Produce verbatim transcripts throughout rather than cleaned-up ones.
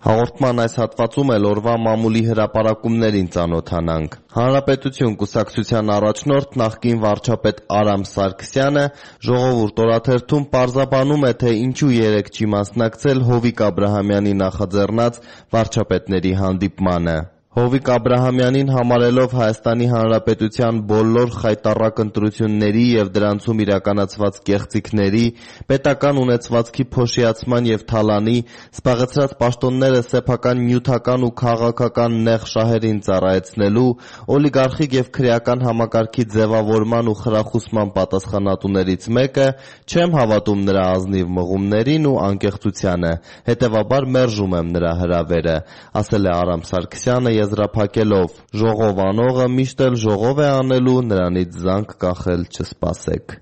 Հաղորդման այս հատվածում էլ օրվա մամուլի հրապարակումներին ծանոթանանք։ Հանրապետություն կուսակցության առաջնորդ նախկին վարչապետ Արամ Սարգսյանը «Ժողովուրդ» օրաթերթում պարզաբանում է, թե ինչու երեկ չի մասնակցել Հովիկ Աբրահամյանի նախաձեռնած վարչապետների հանդիպմանը։ Հովիկ Աբրահամյանին համարելով Հայաստանի Հանրապետության բոլոր խայտառակ ընտրությունների և դրանցում իրականացված կեղծիքների, պետական ունեցվածքի փոշիացման և թալանի, զբաղեցրած պաշտոնները սեփական նյութական ու քաղաքական նեղ շահերին ծառայեցնելու, օլիգարխիկ և քրեական համակարգի ձևավորման ու խրախուսման պատասխանատուներից մեկը, չեմ հավատում նրա ազնիվ մղումներին ու անկեղծությանը, հետևաբար մերժում եմ նրա հրավերը, ասել է Արամ Սարգսյանը եզրափակելով. «Ժողով անողը միշտ էլ ժողով է անելու, նրանից զանգ կախել չսպասեք»։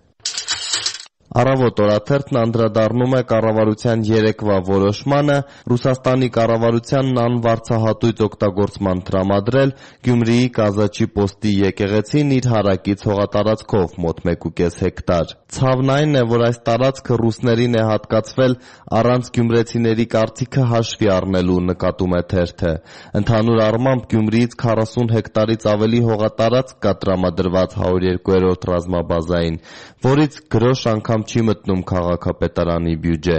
Առավոտ օրաթերթն անդրադառնում է կառավարության երեկվա որոշմանը Ռուսաստանի կառավարությանն անվարձահատույց օգտագործման տրամադրել Գյումրիի Կազачի պոստի եկեղեցին իր հարակից հողատարածքով մոտ մեկուկես հեկտար։ Ցավն այն է, որ այս տարածքը ռուսներին է հատկացվել առանց գյումրեցիների կարծիքը հաշվի առնելու, նկատում է թերթը։ Ընդհանուր առմամբ Գյումրիից քառասուն հեկտարից ավելի հողատարածք կա տրամադրված հարյուրերկու ռազմաբազային, որից գրոշ անգամ չի մտնում քաղաքապետարանի բյուջե։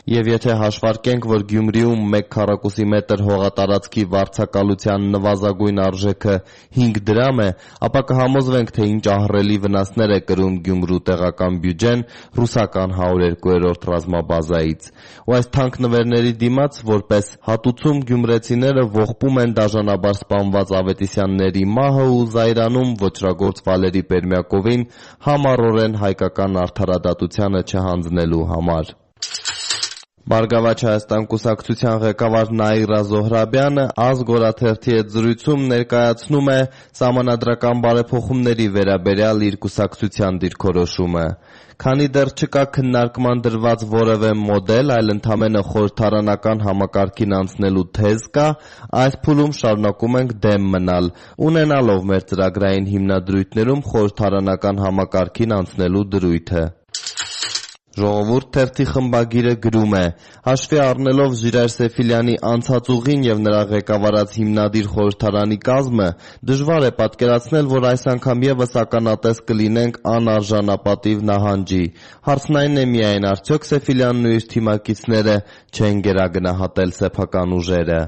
Եվ եթե հաշվարկենք, որ Գյումրիում մեկ քառակուսի մետր հողատարածքի վարձակալության նվազագույն արժեքը հինգ դրամ է, ապա կհամոզվենք, թե ինչ ահռելի վնասներ է կրում Գյումրու տեղական բյուջեն ռուսական հարյուրերկու ռազմաբազայից։ Ու այս թանկ նվերների դիմաց, որպես հատուցում, գյումրեցիները ողբում են դաժանաբար սպանված Ավետիսյանների մահը ու զայրանում ոճրագործ Վալերի Պերմյակովին համառորեն հայկական արդարադատությանը չհանձնելու համար։ Բարգավաճ Հայաստան կուսակցության ղեկավար Նաիրա Զոհրաբյանը «Ազգ» օրաթերթի հետ զրույցում ներկայացնում է սահմանադրական բարեփոխումների վերաբերյալ իր կուսակցության դիրքորոշումը։ Քանի դեռ չկա քննարկման դրված որևէ մոդել, այլ ընդամենը խորհրդարանական համակարգին անցնելու թեզ կա, այս փուլում շարունակում ենք դեմ մնալ, ունենալով մեր ծրագրային հիմնադրույթներում խորհրդարանական համակարգին անցնելու դրույթը։ Ժողովուրդ թերթի խմբագիրը գրում է. «Հաշվի առնելով Ժիրայր Սեֆիլյանի անցած ուղին և նրա ղեկավարած հիմնադիր խորհրդարանի կազմը, դժվար է պատկերացնել, որ այս անգամ ևս ականատես կլինենք անարժանապատիվ նահանջի։ Հարցն այն է միայն, արդյոք Սեֆիլյանն ու իր թիմակիցները չեն գերագնահատել սեփական ուժերը»։